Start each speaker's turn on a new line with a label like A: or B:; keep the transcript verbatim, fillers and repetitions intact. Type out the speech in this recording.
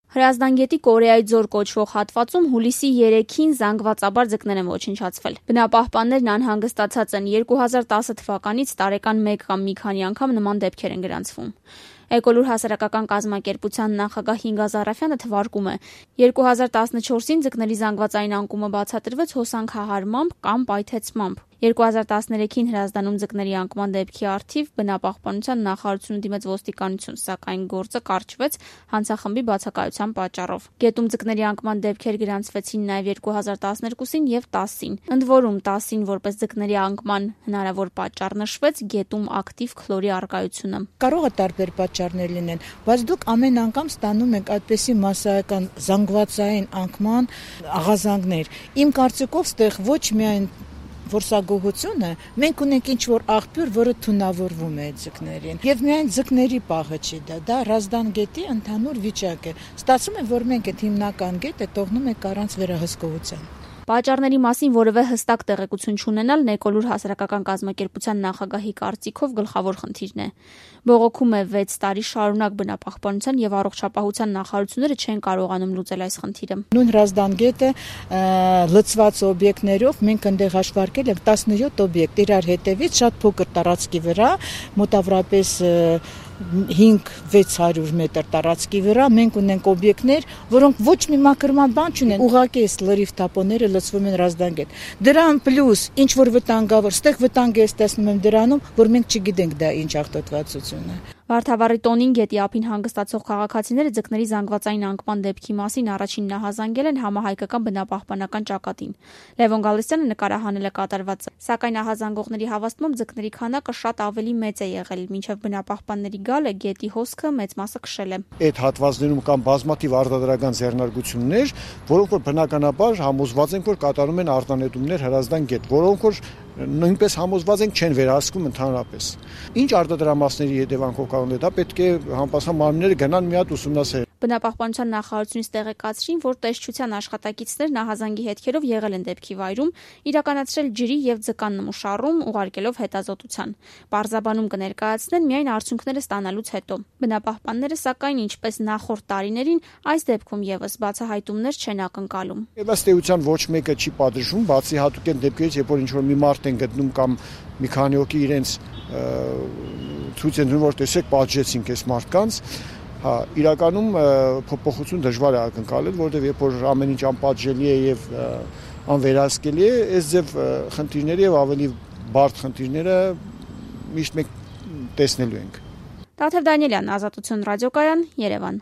A: Հրազդան գետի Կորեայի ձոր կոչվող հատվածում հուլիսի երեքին զանգվածաբար ձկներ են ոչնչացվել։ Բնապահպաններն անհանգստացած են, երկու հազար տասը թվականից տարեկան մեկ կամ մի քանի անգամ նման դեպքեր են գրանցվում։ Էկոլուր հասարակական կազմակերպության նախագահ Հինգազ Արաֆյանը թվարկում է, երկու հազար տասնչորսին ձկների զանգվածային անկումը բացատրվեց հոսանքահարմամբ կամ պայթեցմամբ։ երկու հազար տասներեքին Հրազդանում ձկների անկման դեպքի առթիվ բնապահպանության նախարարությունը դիմեց ոստիկանություն, սակայն գործը կարճվեց հանցախմբի բացակայության պատճառով։ Գետում ձկների անկման դեպքեր գրանցվեցին նաև երկու հազար տասներկուսին եւ տասին։ Ընդ որում տասին որպես ձկների անկման հնարավոր պատճառ նշվեց գետում ակտիվ քլորի առկայությունը։
B: Կարող է տարբեր պատճառներ լինեն, բայց դուք ամեն անգամ ստանում եք այդպիսի մասսայական զանգվածային անկման աղազանգներ։ Իմ կարծիքով ստեղ ոչ միայն որսագողությունը, մենք ունենք ինչ-որ աղբյուր, որը թունավորվում է ձկներին։ Եվ միայն ձկների պահը չի դա, դա Հրազդան գետի ընդհանուր վիճակ է։ Ստացվում է, որ մենք այդ հիմնական գետը թողնում ենք առանց վերահսկողության։
A: Պատճառների մասին որևէ հստակ տեղեկություն չունենալն Էկոլուր հասարակական կազմակերպության նախագահի կարծիքով գլխավոր խնդիրն է։ Բողոքում է վեց տարի շարունակ բնապահպանության եւ առողջապահության նախարարությունները չեն կարողանում լուծել այս խնդիրը։
B: Նույն Հրազդան գետը լցված օբյեկտներով մենք այնտեղ հաշվարկել ենք տասնյոթ օբյեկտ իրար հետևից շատ փոքր տարածքի վրա, մոտավորապես հինգ-վեց հարյուր մետր տարածքի վրա մենք ունենք օբյեկտներ, որոնք ոչ մի մաքրման բան չունեն, ուղղակի այս լրիվ թափոնները լցվում են Հրազդան գետ։ Դրան պլյուս ինչ որ վտանգավոր, ստեղ վտանգ է տեսնում եմ դրանում, որ մենք չգիտենք դա ինչ աղտոտվածություն է։
A: Վարդավառի Տոնին գետի ափին հանգստացող քաղաքացիները ձկների զանգվածային անկման դեպքի մասին առաջին նահազանգել են համահայկական բնապահպանական ճակատին։ Լևոն Գալստյանը նկարահանել է կատարվածը, սակայն նահազանգողների հավաստմամբ ձկների քանակը շատ ավելի մեծ է եղել, մինչև բնապահպանների գալը գետի հոսքը մեծ մասը քշել է։
C: Այդ հատվածներում կան բազմաթիվ արտադրական ձեռնարկություններ, որոնք որ բնականաբար համոզված են, որ կատարում են արտանետումներ Հրազդան գետ, որոնք որ նույնպես համոզված ենք չեն վերահսկում ընդհանրապես։ Ինչ արտադրամասերի հետևանքով կարող է դա պետք է համապատասխան մարմինները գնան մի հատ ուսումնասիրեն։
A: Բնապահպանության նախարարությունից տեղեկացրին, որ տեսչության աշխատակիցներ նահազանգի հետքերով եղել են դեպքի վայրում, իրականացրել ջրի եւ ձկան նմուշառում, ուղարկելով հետազոտության։ Պարզաբանում կներկայացնեն միայն արդյունքները ստանալուց հետո։ Բնապահպանները սակայն ինչպես նախորդ տարիներին այս դեպքում եւս բացահայտումներ չեն ակնկալում։
C: Եվ ըստ էության ոչ մեկը չի պատժվում, բացի հատուկ են դեպքերից, երբ որ ինչ որ մի մարդ են գտնում կամ մի քանի հոգի իրենց ցույց են տալիս, որ տեսեք պատժեցինք այս մարդկանց։ Հա, իրականում փոփոխություն դժվար է ակնկալել, որովհետև երբ որ ամեն ինչ անպատժելի է եւ անվերահսկելի է, այս ձև խնդիրները եւ ավելի բարդ խնդիրները միշտ մենք տեսնելու ենք։
A: Տաթև Դանիելյան, Ազատություն ռադիոկայան, Երևան։